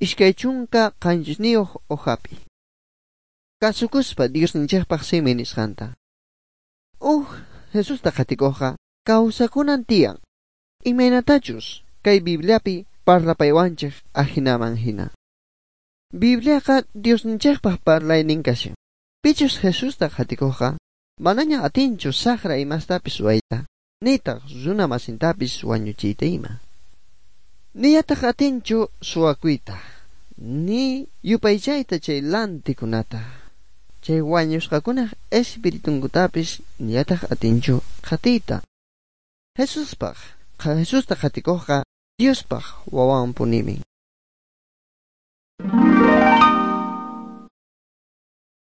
27 hojapi. Kasukuspa Diosninchikpaq simi nisqanta. Uj Jesusta qhatikuqqa kawsakunan tiyan. Imaynatachus kay Bibliapi parlapaywanchik ajinaman hina. Bibliaqa Diosninchikpaq parlaynin kashan. Pichus Jesusta qhatikuqqa manaña atinchu saqra imastapis ruwayta, nitaq runa masintapis wañuchiyta ima. Niyataq atinchu suwakuyta, ni yupaychayta chay lantikunata. Chay wañusqakunaq espiritunkutapis niyataq atinchu qhatiyta. Jesuspaq, Jesusta qhatikuqqa Diospaq wawanpunimin.